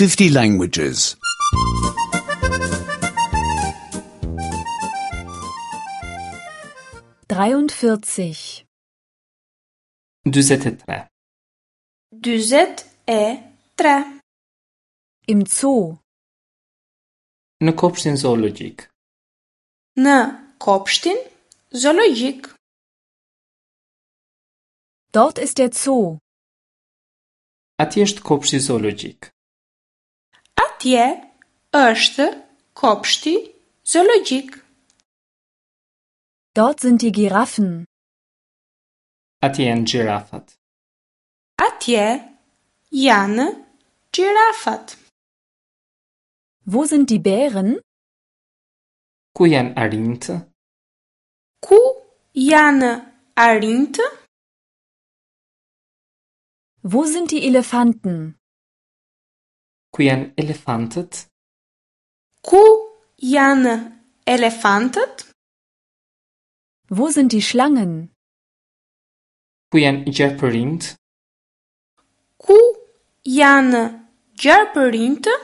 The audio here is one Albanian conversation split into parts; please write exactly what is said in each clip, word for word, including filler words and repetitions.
fifty languages. dreiundvierzig, dyzet e tre. Dyzet e tre. Im Zoo. Në kopshtin zoologjik. Në kopshtin zoologjik. Dort ist der Zoo. Atje është kopshti zoologjik. Atje është kopshti zoologjik. Dort sind die Giraffen. Atje janë gjirafat. Atje janë gjirafat. Wo sind die Bären? Ku janë arinjtë? Ku janë arinjtë? Wo sind die Elefanten? Ku janë elefantët? Ku janë elefantët? Wo sind die Schlangen? Ku janë gjarpërinjtë? Ku janë gjarpërinjtë?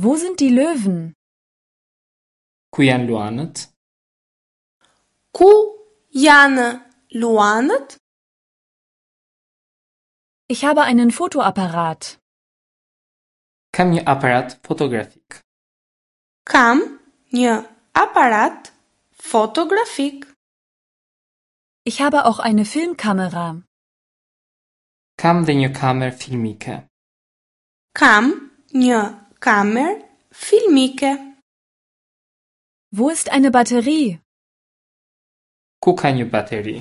Wo sind die Löwen? Ku janë luanët? Ku janë luanët? Ich habe einen Fotoapparat. Kam një aparat fotografik. Kam një aparat fotografik. Ich habe auch eine Filmkamera. Kam dhe një kamerë filmike. Kam një kamerë filmike. Wo ist eine Batterie? Ku ka një bateri?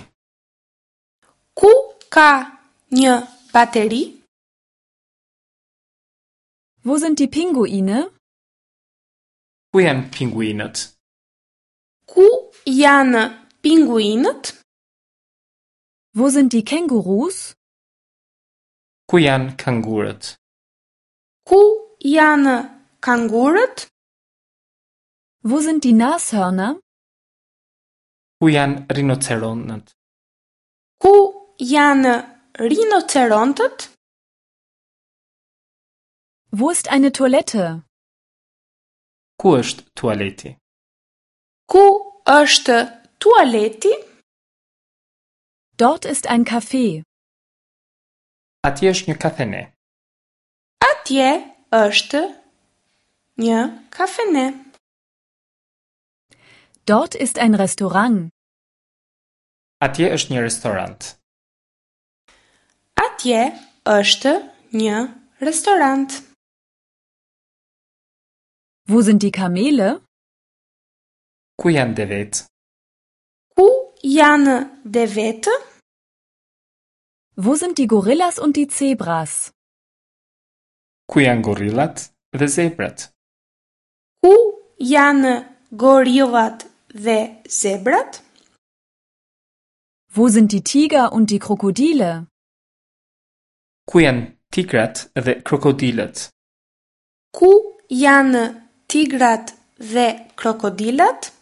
Ku ka një bateri? Wo sind die Pinguine? Ku janë pinguinët? Ku janë pinguinët? Wo sind die Kängurus? Ku janë kangurët? Ku janë kangurët? Wo sind die Nashörner? Ku janë rinoceronët? Ku janë rinocerontët? Wo ist eine Toilette? Ku është tualeti? Ku është tualeti? Dort ist ein Café. Atje është një kafene. Atje është një kafene. Dort ist ein Restaurant. Atje është një restorant. Atje është një restorant. Wo sind die Kamele? Ku janë devet? Ku janë devetë? Wo sind die Gorillas und die Zebras? Ku janë gorillat dhe zebrat? Ku janë gorillat dhe zebrat? Wo sind die Tiger und die Krokodile? Ku janë tigrat dhe krokodilët? Ku janë tigrat dhe krokodilat?